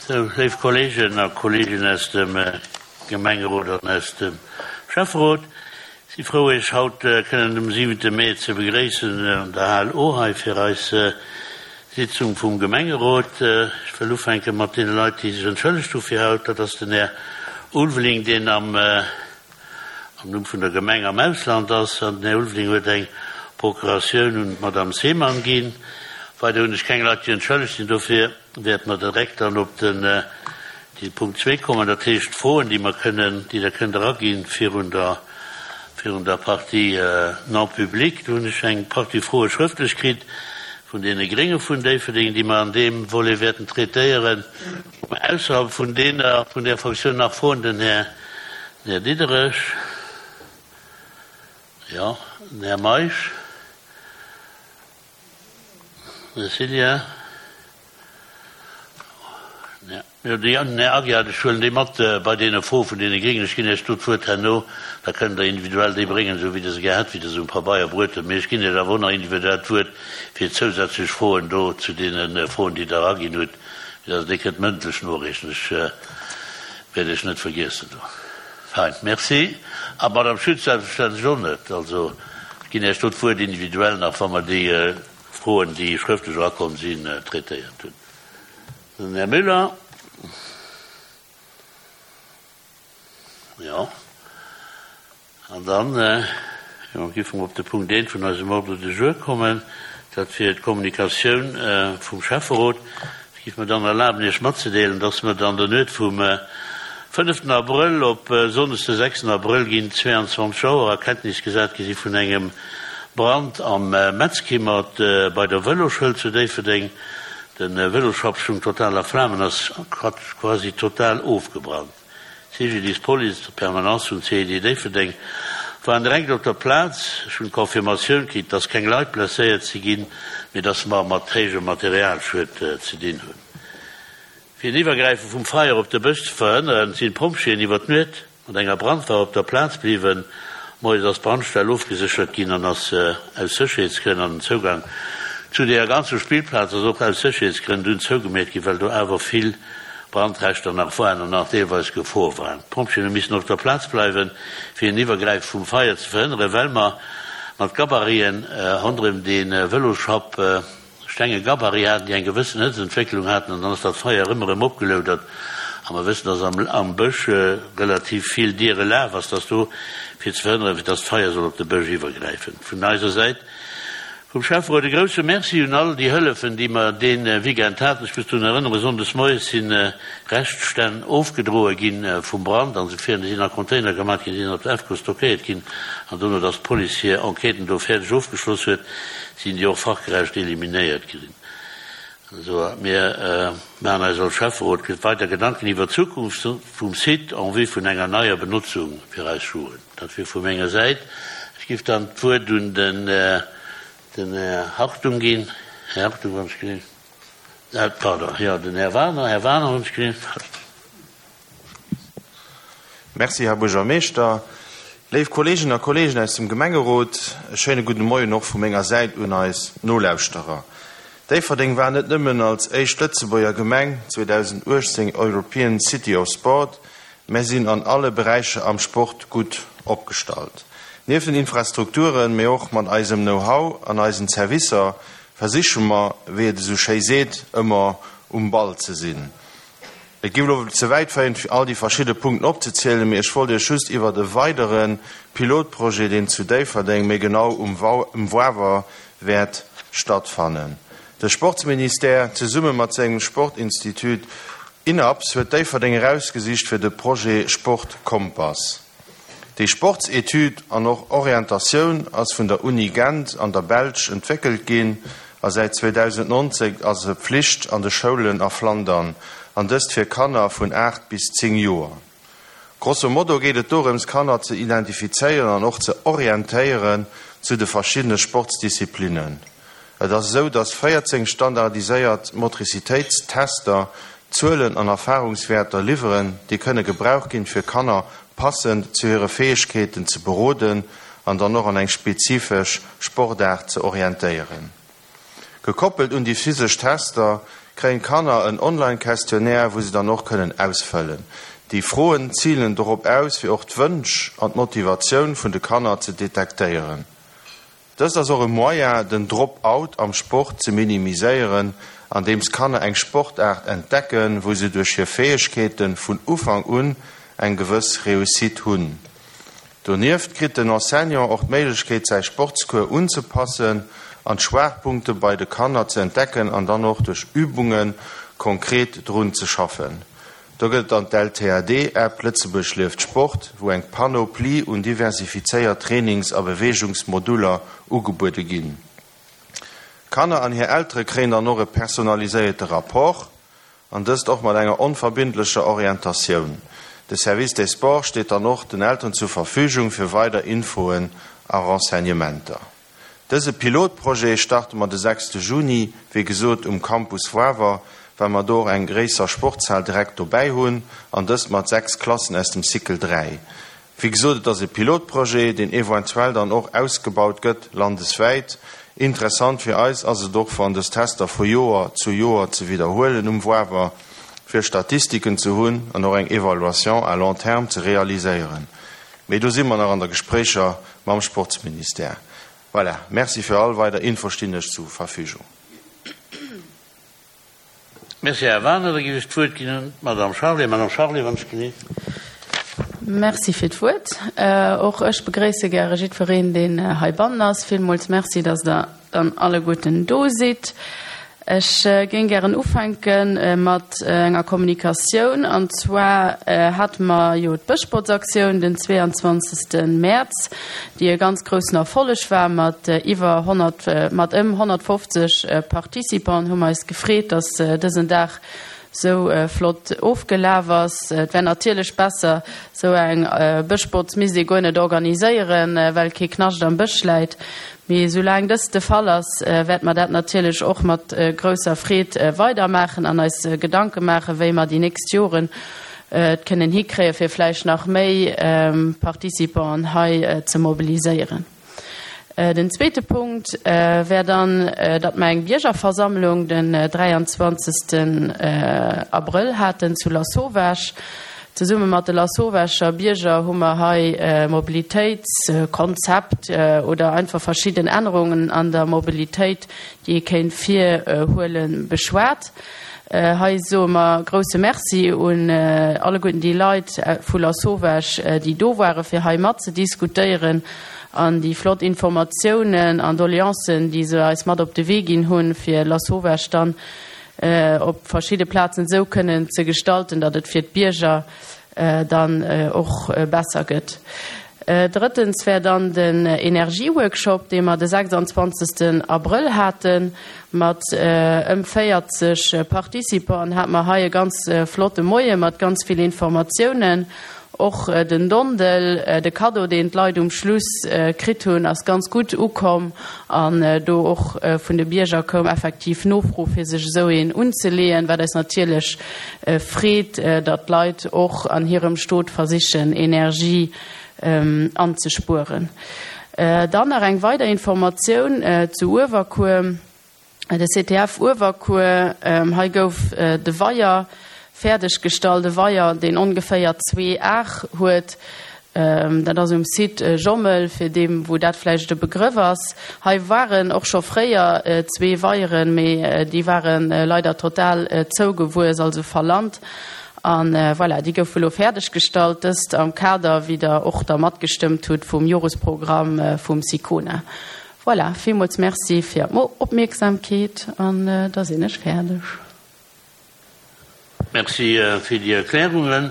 Sou, léif Kolleegen a Kolleeginnen aus dem Gemengerot an aus dem Schäfferot, ech si frou, Iech haut kënnen um siwente Mee ze begréissen an der Hal O hei fir eis Sitzung vum Gemengerot. Ech wëll ufänke mat deene Leit, déi sech entschëllegt hu fir haut. Dat ass den Här Ulveling, deen am am Numm vun der Gemeng am Ausland ass, an den Här Ulveling huet eng Procuratioun un d'Madame Seemann ginn. Weider hunn ech keng Leit, déi entschëllegt sinn. Dofir wäerte mer direkt dann op den de Punkt zwee kommen, dat heescht d'Froen, déi mer kënnen, déi Der kënnt eraginn virun der virun der Partie non publique. Do hunn ech eng Partie Froe schrëftlech kritt vun deene Grénge vun Déifferdeng, déi mer an deem Volet wäerten traitéieren. Ausserhalb vun deene vun där Fraktioun nach Froen? Den Här Den Här Diderich, jo, den Här Meisch, den Här Cillien, jo, den Här Aguiar. Ech huelen déi mat bei deene Froe vun deene Gréngen. Ech ginn Iech do d'Wuert herno, da kënnt Der individuell déi bréngen, esou wéi Der se gär hätt, wéi Der se um Pabeier bruet hutt. Mee ech ginn Iech awer och nach individuell d'Wuert fir zousätzlech Froen do zu deene Froen, déi Der eraginn hutt, fir dass Der déi kënnt mëndlech noreechen. Ech Wäert ech net vergiessen do. Fein, merci. A Madame Schütz selbstverständlech och net. Also, ech ginn Iech do d'Wuert individuell nach, wa mer déi Froen, déi schrëftlech erakomm sinn, traitéiert hunn. Den Här Müller. Jo. An dann, jo, géife mer op de Punkt eent vun eisem Ordre du jour kommen, dat wier d'Kommunikatioun vum Schäfferot. Ech géif mer dann erlaben, Iech matzedeelen, dass mer an der Nuet vum fënneften Abrëll op Sonndes de sechsten Abrëll géint 22 Auer a Kenntnis gesat gi si vun engem Brand am Metzkimmert bei der Vëloschoul zu Déifferdeng. De Vëlosschapp stoung total a Flamen, ass quasi total ofgebrannt. D'CGDIS, Police, d'Permanence vum CID Déifferdeng waren direkt op der Plaz. Ech hunn d'Confirmatioun kritt, dass keng Leit blesséiert si ginn, mee dass mer mat héijem Materialschued ze dinn hunn. Fir en Iwwergräife vum Feier op de Bësch ze verhënneren, sinn d'Pompjeeën iwwer d'Nuet mat enger Brandwaach op der Plaz bliwwen. Moies ass d'Brandstell ofgeséchert ginn an ass aus Sécherheetsgrënn an den Zougang zu deeër ganzer Spillplaz ass och aus Sécherheetsgrënn dunn zougemeet ginn, well do awer vill Brandreschter nach waren an nach deelweis gefror waren. D'Pompjeeën hu missen op der Plaz bleiwen, fir en Iwwergräife vum Feier ze verhënneren, well mer mat Gabariten ronderëm de Vëloschapp stenge Gabarit haten, déi eng gewëssen Hëtzentwécklung haten, an dann ass dat Feier ëmmer erëm opgeloudert. A mer wëssen, dass am am Bësch relativ vill diere Laf ass, dass do, fir ze verhënneren, fir dass d'Feier soll op de Bësch iwwergräifen. Vun eiser Säit Vum Schäfferot e grousse Merci un all déi Hëllefen, déi mer dee Weekend haten. Ech muss drun erënneren, Sonndes moies si Reschtstänn ofgedroe gi vum Brand an esou virun. Déi sinn a Container gemat ginn, déi sinn op der EFCO stockéiert ginn an dono, datt d'Police hir Enquêten do fäerdeg ofgeschloss huet, sinn déi och fachgerecht eliminéiert ginn. Also mir maachen eis als Schäfferot weider Gedanken iwwer d'Zukunft vum Site en vue vun enger neier Benotzung fir eis Jugend. Dat wier vu menger Säit. Ech géif dann d'Wuert un den Här Hartung ginn. Här Hartung, wann ech gesinn. Pardon, jo, den Här Wagener. Här Wagener, wann ech gesinn. Merci, Här Buergermeeschter. Léif Kolleeginnen a Kolleegen aus dem Gemengerot, e schéine gudde Moien och vu menger Säit un eis Nolauschterer. Déifferdeng war net nëmmen als éischt Lëtzebuerger Gemeng 2018 European City of Sport, Mär sinn an alle Beräicher am Sport gutt opgestallt. Nieft den Infrastrukturen, mee och mat eisem Know-how an eisen Servicer versiche mer, wéi et esou schéi seet, ëmmer um Ball ze sinn. Et géif elo ze wäit féieren, fir all déi verschidde Punkten opzezielen, mee ech wollt Iech just iwwert e weidere Pilotprojet, deen zu Déifferdeng, méi genau um Wawer, wäert stattfannen. De Sportsministère, zesumme mat sengem Sportinstitut INAPS, huet Déifferdeng erausgesicht fir de Projet Sport Kompass. Déi Sportsetüd an och Orientatioun ass vun der Uni Gent an der Belsch entwéckelt ginn a säit 2019 ass se Pflicht an de Schoulen a Flandern, an dëst fir Kanner vun 8 bis 10 Joer. Grosso modo geet et dorëms, Kanner ze identifizéieren an och ze orientéieren zu de verschiddene Sportsdisziplinnen. Et ass esou, dass 14 standardiséiert Motricitéitstester Zuelen an Erfarungswäerter liwweren, déi kënne gebraucht ginn, fir Kanner passend zu hire Fäegkeeten ze beroden an dann och an eng spezifesch Sportaart ze orientéieren. Gekoppelt un déi physesch Tester. kréien d'Kanner en Online-Questionnaire, wou se dann och kënnen ausfëllen. Déi Froen zilen dorop aus, fir och d'Wënsch an d'Motivatioun vun de Kanner ze detektéieren. Dëst ass och e Moyen, den Drop-out am Sport ze minimiséieren, andeems d'Kanner eng Sportaart entdecken, wou se duerch hir Fäegkeete vun Ufank un eng gewëss Réussite hunn. Donieft kritt den Enseignant och d'Méiglechkeet säi Sportscours unzepassen an d'Schwaachpunkte bei de Kanner ze entdecken an dann och duerch Übunge konkret drun ze schaffen. Do gëtt et dann d'LTAD-App, Lëtzebuerg lieft Sport, wou eng Panoplie un diversifizéiert Trainings a Beweegungsmoduller ugebuede ginn. D'Kanner an hir Eltere kréien dann och e personaliséierte Rapport. An dëst och mat enger onverbindlecher Orientatioun. De Service des Sports steet dann och den Elteren zur Verfügung fir weider Infoen a Renseignementer. Dëse Pilotprojet starte mer de sechste Juni, wéi gesot um Campus Wawer, well mer do och eng gréisser Sportshal direkt dobäi hunn, an dëst mat 6 Klassen aus dem Cycle 3. Wéi gesot, et ass e Pilotprojet, deen eventuell dann och ausgebaut gëtt landeswäit. Interessant fir eis ass et och, wann dës Tester vu Joer zu Joer ze widderhuelen um Wawer, fir Statistiken ze hunn an och eng Evaluation à long terme ze realiséieren. Mee do si mer nach an der Gespréicher mam Sportsministère. Voilà, Merci. Fir all weider Info stinn ech zu Verfügung. Merci, Här Wagener. Da géif ech d'Wuert ginn un d'Madame Charlé. Madame Charlé, wann ech genee. Merci fir d'Wuert. Och ech begréisse gäre jiddwereen, deen heibannen ass. Villmools Merci, dass Der dann alleguerten do sidd. Ech géing gären ufänke mat enger Kommunikatioun. An zwar hate mer jo d'Bëschbotzaktioun den 22. Mäerz, déi e ganz groussen Erfolleg war mat iwwer 100, mat ëm 150 Participanten, hu mer eis gefreet, dass dësen Dag sou flott ofgelaf ass. Et wär natierlech besser, sou eng Bëschbotz misst ee guer net organiséieren, well kee Knascht am Bësch läit. Mee soulaang dëst de Fall ass, wäerte mer dat natierlech och mat grousser Freed weidermaachen an eis Gedanke maachen, wéi mer déi nächst Joren et kënnen hikréien, fir vläicht nach méi Participanten hei ze mobiliséieren. Den zweete Punkt wär dann, datt mer eng Biergerversammlung den 23. Abrëll haten zu Lasauvage. Zesumme mat de Lasauvager Bierger hu mer hei e Mobilitéitskonzept oder einfach verschidden Ännerungen an der Mobilitéit, déi ee kéint virhuelen, beschwat. Hei soe mer grousse Merci un alleguerten déi Leit vu Lasauvage, déi do ware fir hei matzediskutéieren an déi flott Informatiounen an Doleancen, déi se eis mat op de Wee ginn hunn, fir Lasauvage dann op verschidde Plazen esou kënnen ze gestalten, datt et fir d'Bierger dann och besser gëtt. Drëttens wär dann den Energieworkshop, dee mer de 26. Abrëll haten. Mat ëm 40 Participanten hate mer hei e ganz flotte Moie mat ganz vill Informatiounen. Och den Dondel, de Kaddo, deen d'Leit um Schluss kritt hunn, ass ganz gutt ukomm an do och vun de Bierger koum effektiv Nofro, fir sech esou een unzeleeën, wat eis natierlech freet, datt d'Leit och an hirem Stot versichen, Energie anzespueren. Dann nach eng weider Informatioun zu Uewerkuer, de CTF Uewerkuer. Hei gouf de Weier fäerdeg gestallt, e Weier, deen ongeféier zwee Ar huet. Dat ass um Site Jommel, fir deem, wou dat vläicht e Begrëff ass. Hei waren och scho fréier zwee Weieren, mee déi ware leider total zougewuess, also verlant. A voilà, déi goufe elo fäerdeg gestallt, dëst am Kader, wéi Der och da matgestëmmt hutt, vum Joresprogramm vum SICONA. Voilà, villmools Merci fir Är Opmierksamkeet an da sinn ech fäerdeg. Merci fir déi Erklärungen.